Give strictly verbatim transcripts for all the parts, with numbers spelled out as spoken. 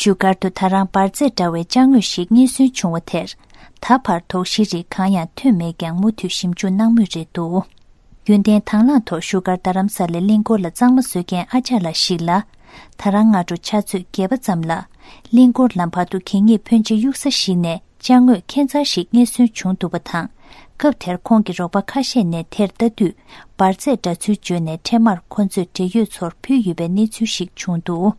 བཞུགས་སྒར་དུ་ད་རང་འབར་རྫས་འདྲ་བའི་ཅ་དངོས་ཤིག་རྙེད་སོན་བྱུང་བ་དེར། ད་བར་དོགས་གཞིའི་རིགས་གང་ཡང་ཐོན་མེད་ཀྱང་མུ་མཐུད་ཞིབ་འཇུག་གནང་མུས་རེད་འདུག། རྒྱུན་ལྡན་དང་བླངས་ཐོག་བཞུགས་སྒར་རྡ་རམ་ས་ལའི་གླིང་སྐོར་ལ་གཙང་མ་བཟོ་མཁན་ཨ་ཅག་ལགས་ཤིག་ལ། ད་རང་སྔ་དྲོ་ཕྱག་ཚོད་བརྒྱད་པ་ཙམ་ལ། གླིང་སྐོར་ལམ་བར་དུ་གད་སྙིགས་ཕོན་ཆེ་གཡུག་ས་ཞིག་ནས་ཅ་དངོས་ཁེ་ཚར་ཞིག་རྙེད་སོན་བྱུང་འདུག་པ་དང་། སྐབས་དེར་ཁོང་གི་རོགས་པ་ཁ་ཤས་ནས་དེར་ལྟ་དུས་འབར་རྫས་འདྲ་ཚུལ་བརྗོད་ནས་འཕྲལ་མར་ཁོ་ཚོས་འབྲེལ་ཡོད་ཚོར་ཕུལ་ཡོད་པའི་གནས་ཚུལ་ཞིག་བྱུང་འདུག།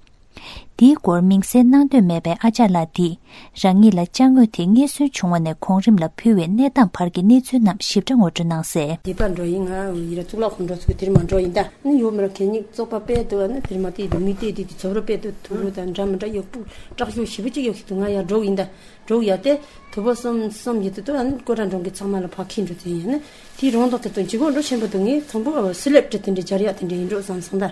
འདིའི་སྐོར་མིང་གསལ་གནང་འདོད་མེད་པའི་ཨ་ཅག་ལགས་འདིས་རང་ཉིད་ལ་ཅ་དངོས་དེ་རྙེད་སོན་བྱུང་བ་ནས་གོང་རིམ་ལ་ཕུལ་བའི་གནས་སྟངས་བར་གྱི་གནས་ཚུལ་རྣམས་ཞིབ་ཕྲ་ངོ་སྤྲོད་གནང་གསལ། འདི་པར་འགྲོ་ཡིན། ང་ཡིན་ར་གཙུག་ལག་ཁང་འགྲོ་ཚུགས་དེར་མ་འགྲོ་ཡིན་ད། ནི་ཡོད་མ་ར་གད་སྙིགས་བཙོག་པ་དཔེ་འདུག་ཨ་ནི་དེར་མ་དེ་རུ་མི་དེ་དེ་དེ་ཚོ་རུ་དཔེ་འདུག་ཐུག་རུ་དང་འདྲ་མི་འདྲ་ཡོད་པུ་བཀྲག་ཤོས་ཞིབ་པོ་ཅིག་ཡོད་ཤི་འདུག། ང་ཡར་འགྲོ་ཡིན་ད། འགྲོ་ཡ་དེ་དུ་བ་གསུམ་གསུམ་ཡིན་དུ་དུ་ཨ་ནི་ཀོ་ཏྲ་འགྲོ་གི་ཚང་མ་ལ་ཕ་ཁི་འགྲོ་དུ་ཡིན་ནི་དེའི་རོང་དོག་དེ་དུ་འཇིགས་འགྲོ་ཆེན་པོ་དུ་ངས་ཚང་པོ་སི་ལེབ་ཏྲི་དེ་འདྲ་སྦྱར་ཡག་དེ་འདྲ་ཡིན་འགྲོ་བསམ་སོང་ད།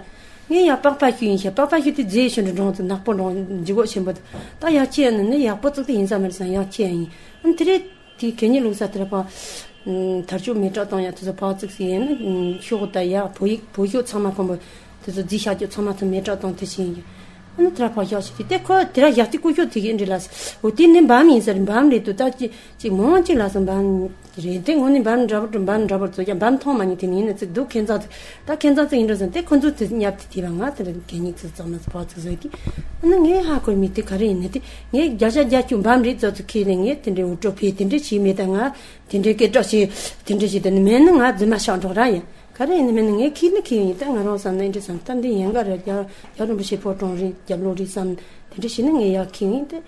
ངས་ཡ་པག་པ་ཤུ་ཡིན་ཤ་པག་པ་ཤུ་དེ་རྫས་ཤུ་འདྲ་འགྲོང་དུ་ནག་པོ་འགྲོང་འཇིགས་འགྲོ་ཆེན་པོ་དུ་ད་ཡག་ཆེ་ཡ་ནི་ནི་ཡག་པོ་བཙུགས་དེ་ཡིན་ས་མ་རེད་བསམ་ཡག་ཆེ་ཡ་ཡིན། ཨ་ནི་དེ་རེད། དེའི་གད་སྙིགས་བླུགས་ས་དེར་ཕ། དར་ལྕོག་མེ་སྲེག་བཏང་ཡག་དེ་ཚོ་ཕ་བཙུགས་སི་ཡིན་ནི་ཤོག་ད་ཡག་བོད་ཡིག་བོད་ཤོག་ཚང་མ་ཁོམ་པོ། དེ་ཚོ་རྫིས་ཤག་རྒྱུ་ཚང་མ་ཚོ་མེ་སྲེག་བཏང་དེ་ཕྱིན་ཡིན། ཨ་ནི་དེ་ར་ཕ་ཤག་ཞིག་དེ་དེ་ཁོ་དེ་ར་ཡག་དེ་ཀུ་ཤོག་དེ་གི་འདྲི་ལ། འོ་དེ་ནི་འབམ་ཡིན་ཟེར་འབམ་རེད་དུ་ད་ཅི་ཅིག་མང་ཅིག་ལ་སོང་འབམ་རེད་དེ་ངོ་ནི་འབམ་འདྲ་པོ་འབམ་འདྲ་པོ་ཚོ་ཀྱང་འབམ་མཐོང་མ་ཉིད་དེ་ནི་ཡིན་ན་ཅིག་འདུག་ཁྱེད་ཚོ་ད་ཁྱེད་ཚོ་ཚོ་ཡིན་འགྲོ་ཟེར་དེ་ཁོ་ཚོ་དེ་ཉབ་དེ་དེ་བ་ང་དེ་ར་གད་སྙིགས་ཚོ་ཚང་མ་ཚོ་ཕ་ཚོ་བཟོས་དེ། ཨ་ནི་ངས་ཧ་གོ་མི་དེ་ག་རེ་ཡིན་ནི་དེ་ངས་བརྒྱ་ཆ་བརྒྱ་ཅུ་འབམ་རེད་ཚོ་ཚོ་ཁྱེད་ནི་ངས་དེ་འདྲའི་འུར་སྒྲོག་ཕེ་དེ་འདྲ་བྱས་མེད་ད་ང་། དེ་འདྲའི་སྐད་གྲགས་ཆེ། དེ་འདྲ་ཞིག་དེ་ནི་མེད་ན་ང་རྫུན་མ་ཤག་འགྲོ་ར་ཡིན། ག་རེ་ཡིན་ནི་མེད་ན་ངས་ཁྱི་ནི་ཁྱི་ཡིན་ད་ང་རང་བསམ་ན་འདྲ་བསམ་ད་འདི་ཡན་ག་རེ་རྒྱ་རྒྱ་རིན་པོ་ཆེ་ཕོ་བྲང་རེད་རྒྱབ་ལོག་རེད་བསམ། དེ་འདྲ་ཞིག་ནི་ངས་ཡག་ཁྱི་ཡིན་ཏེ།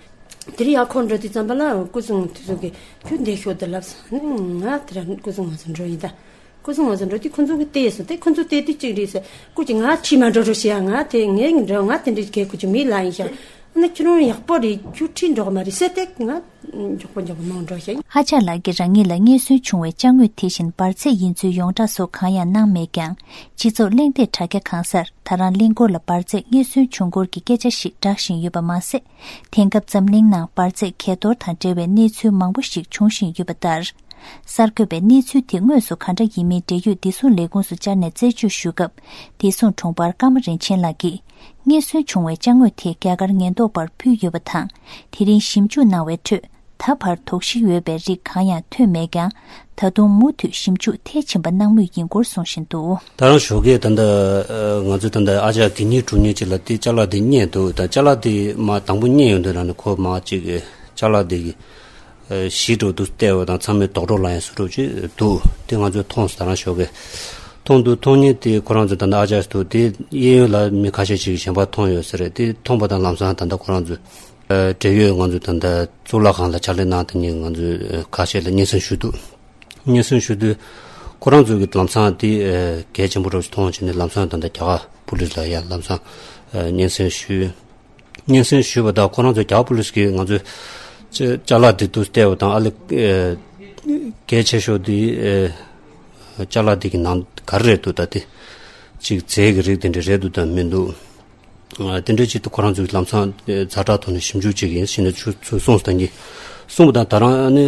དེ་རིང་ཡག་ཁོ་འགྲོ་དུས་ཙམ་པ་ལ་སྐུ་གཟུགས་དེ་ཚོ་གི་ཁྱོད་འདི་ཤོད་དེ་ལབ་སོང་ནི་ང་དེ་ར་སྐུ་གཟུགས་ང་ཚོ་འགྲོ་ཡིན་ད། སྐུ་གཟུགས་ང་ཚོ་འགྲོ་དུས་ཁོ་ཚོ་གི་བལྟས་སོང་སྟེ་ཁོ་ཚོ་བལྟས་དུས་གཅིག་རེད་ཟེར་སྐུ་གཅིག་ང་ཁྱི་མ་འགྲོ་འགྲོ་ཞེས་ང་དེ་ངས་འགྲོ་ང་དེ་འདྲ་གས་ཁུ་ཆུ་མི་ལ་ཡིན་ཤག་ཨ་ནི་ཁྱོད་རང་ཡག་པོ་རེད་ཁྱོད་ཁྲིད་འགྲོ་གི་མ་རེད་ཟེར་ཏེ་ང་མགྱོགས་པོ་མགྱོགས་པོ་ནང་འགྲོ་ཤག་ཨ་ཅག་ལགས་ཀྱིས་རང་ཉིད་ལ་རྙེད་སོན་བྱུང་བའི་ཅ་དངོས་དེ་བཞིན་འབར་རྫས་ཡིན་ཚུལ་ཡོངས་གྲགས་སོགས་གང་ཡང་གནང་མེད་ཀྱང་། སྤྱི་ཚོགས་གླེང་སྟེགས་དྲ་རྒྱ་གང་སར་ད་རང་གླིང་སྐོར་ལ་འབར་རྫས་རྙེད་སོན་བྱུང་སྐོར་གྱི་སྐད་ཆ་ཞིག་བསྒྲགས་བཞིན་ཡོད་པ་མ་ཟད། དེང་སྐབས་འཛམ་གླིང་ནང་འབར་རྫས་གས་གཏོར་དང་འབྲེལ་བའི་གནས་ཚུལ་མང་པོ་ཞིག་འབྱུང་བཞིན་ཡོད་པ་ལྟར། གསར་འགོད་པས་གནས་ཚུལ་དེ་དངོས་སུ་ག་འདྲ་ཡིན་མིན་འབྲེལ་ཡོད་བདེ་སྲུང་ལས་ཁུངས་སུ་བཅར་ནས་རྩད་གཅོད་ཞུ་སྐབས། བདེ་སྲུང་དྲུང་འཕར་ཀརྨ་རིན་ཆེན་ལགས་ཀྱིས། རྙེད་སོན་བྱུང་བའི་ཅ་དངོས་དེ་རྒྱ་གར་ཉེན་རྟོག་པར་ཕུལ་ཡོད་པ་དང་། དེ་རིང་ཞིབ་འཇུག་གནང་བའི་ཁྲོད། ད་བར་དོགས་གཞི་ཡོད་པའི་རིགས་གང་ཡང་ཐོན་མེད་ཀྱང་། ད་དུང་མུ་མཐུད་ཞིབ་འཇུག་མཐིལ་ཕྱིན་པ་གནང་མུས་ཡིན་སྐོར་གསུངས་བཞིན་འདུག། ད་རང་ཞོགས་ཀས་ད་ལྟ་ང་ཚོས་ད་ལྟ་ཨ་ཅག་གི་གཉིས་དྲུག་གཉིས་ཅིག་ལ་དེ་ཅ་ལག་དེ་རྙེད་འདུག་ད་ཅ་ལག་དེ་མ་དང་པོ་རྙེད་ཡོང་དུས་རང་ནས་ཁོ་མ་ཅིག་ཅ་ལག་དེ་གི་གཞི་འགྲོ་འདུག་བལྟས་པ་དང་ཚང་མས་རྡོག་རྡོག་ལ་ཡང་བཟོ་འདྲ་ཅིག་འདུག་དེ་ང་ཚོས་མཐོང་སོང་། ད་རང་ཞོགས་ཀས་མཐོང་འདུག་མཐོང་མཁན་དེ་ཁོ་རང་ཚོ་ད་ལྟ་ཨ་ཅག་འདུག་དེ་གཡས་གཡོན་ལ་མི་ཁ་ཤས་ཅིག་གཞན་པ་མཐོང་ཡོད་ས་རེད། དེ་མཐོང་པ་དང་ལམ་སང་ད་ལྟ་ཁོ་རང་ཚོ། འབྲེལ་ཡོད་ང་ཚོ་ད་ལྟ་གཙུག་ལག་ཁང་ལ་ཕྱག་ལས་གནང་སྟེ་ནི་ང་ཚོས་ཁ་ཤས་ལ་སྙན་སེང་ཞུས་འདུག་སྙན་སེང་ཞུས་དུས་ཁོ་རང་ཚོ་གི་ལམ་སང་དེ་གལ་ཆེན་པོ་རུ་མཐོང་བྱས་ནས་ལམ་སང་ད་ལྟ་རྒྱ་གར་པུ་ལིས་ལ་ཡང་ལམ་སང་སྙན་སེང་ཞུས། སྙན་སེང་ཞུས་པ་དང་ཁོ་རང་ཚོ་རྒྱ་གར་པུ་ལིས་ཀྱིས་ང་ཚོས་ཅ་ཅ་ལག་དེ་དུ་བལྟས་པ་དང་ཨ་ལེ་གལ་ཆེ་ཤོས་དེ་ཅ་ལག་དེ་གི་ནང་ག་རེ་རེད་འདུག་ད་དེ་ཅིག་རྫས་ཀྱི་རིགས་དེ་འདྲ་རེད་འདུག་དང་མི་འདུག་དེ་འདྲའི་ཆེད་དུ་ཁོ་རང་ཚོའི་ལམ་སང་ཛ་དྲག་ཐོག་ནས་ཞིབ་འཇུག་བྱེད་ཀྱི་ཡིན་ཞེས་ནས་ཚུར་ཚུར་གསུངས་སོང་། ད་གིན་གསུངས་པ་དང་ད་རང་ནི་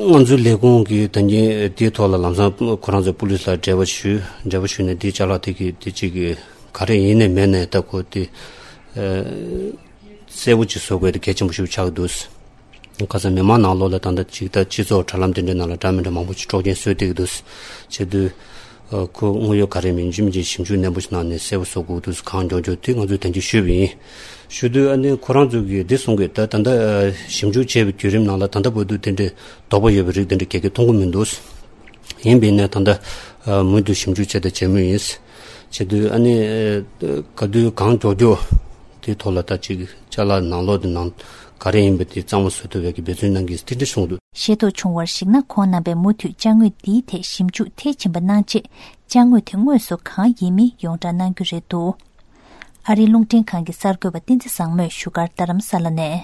ང་ཚོའི་ལས་ཁུངས་ཀྱིས་ད་གིན་དེའི་ཐོག་ལ་ལམ་སང་ཁོ་རང་ཚོའི་པུ་ལིས་ལ་འབྲེལ་བ་ཞུས། འབྲེལ་བ་ཞུས་ནས་དེའི་ཅ་ལག་དེ་གི་དེ་གཅིག་གི་ག་རེ་ཡིན་ནས་མེད་ནས་ད་ཁོ་དེ་གསལ་པོ་ཅིག་བཟོ་དགོས་དེ་གལ་ཆེན་པོ་ཞིག་ཆགས་འདུག་ཁ་སང་མི་མང་ནང་ལོགས་ལ་ད་ལྟ་ཅིག་ད་སྤྱི་ཚོགས་དྲ་ལམ་དེ་འདྲའི་ནང་ལ་འདྲ་མི་འདྲ་མང་པོ་ཅིག་འཕྲོག་རྐྱེན་བཟོས་བསྡད་ཀྱི་འདུག་བྱེད་དུས། ཁོ་དངོས་ཡོད་ག་རེ་མིན་ཅི་མིན་གྱི་ཞིབ་འཇུག་ནན་པོ་ཞིག་གནང་ནས་གསལ་པོ་བཟོ་དགོས་འདུག་གང་མགྱོགས་མགྱོགས་དེ་ང་ཚོས་དོན་གྱིས་ཞུས་པ་ཡིན། ཞུ་དུས་ཨ་ནི་ཁོ་རང་ཚོ་གིས་འདི་གསུང་གི་ད་ད་ལྟ་ཞིབ་འཇུག་བྱས་པའི་བརྒྱུད་རིམ་ནང་ལ་ད་ལྟ་བར་དུ་དེ་འདྲའི་དོགས་པ་ཡོད་པའི་རིགས་དེ་འདྲ་ག་གེ་མཐོང་གི་མི་འདུག་ཡིན་པས་ན་ད་ལྟ་མུ་མཐུད་ཞིབ་འཇུག་བྱས་ཏེ་བྱེད་མུས་ཡིན། བྱེད་དུས་ཨ་ནི་ག་དུས་གང་མགྱོགས་མགྱོགས་དེའི་ཐོག་ལ་ད་ཅིག་ཅ་ལག་ནང་ལོགས་དེ་ནང་ག་རེ་ཡིན་པ་དེ་གཙང་མ་བཟོ་ཐུབ་པའི་གི་འབད་བརྩོན་གནང་གི་དེ་འདྲ་གསུངས་འདུག་ཤེས་རྟོགས་བྱུང་བར་གཞིགས་ན་ཁོང་རྣམ་པས་མུ་མཐུད་ཅ་དངོས་འདིའི་ཐད་ཞིབ་འཇུག་མཐིལ་ཕྱིན་པ་གནང་རྗེས་ཅ་དངོས་དེ་དངོས་སུ་གང་ཡིན་མིན་ཡོངས་བསྒྲགས་གནང་རྒྱུ་རེད་འདུག་ཨ་རིའི་རླུང་འཕྲིན་ཁང་གི་གསར་འགོད་པ་བསྟན་འཛིན་བཟང་མོས་བཞུགས་སྒར་རྡ་རམ་ས་ལ་ནས།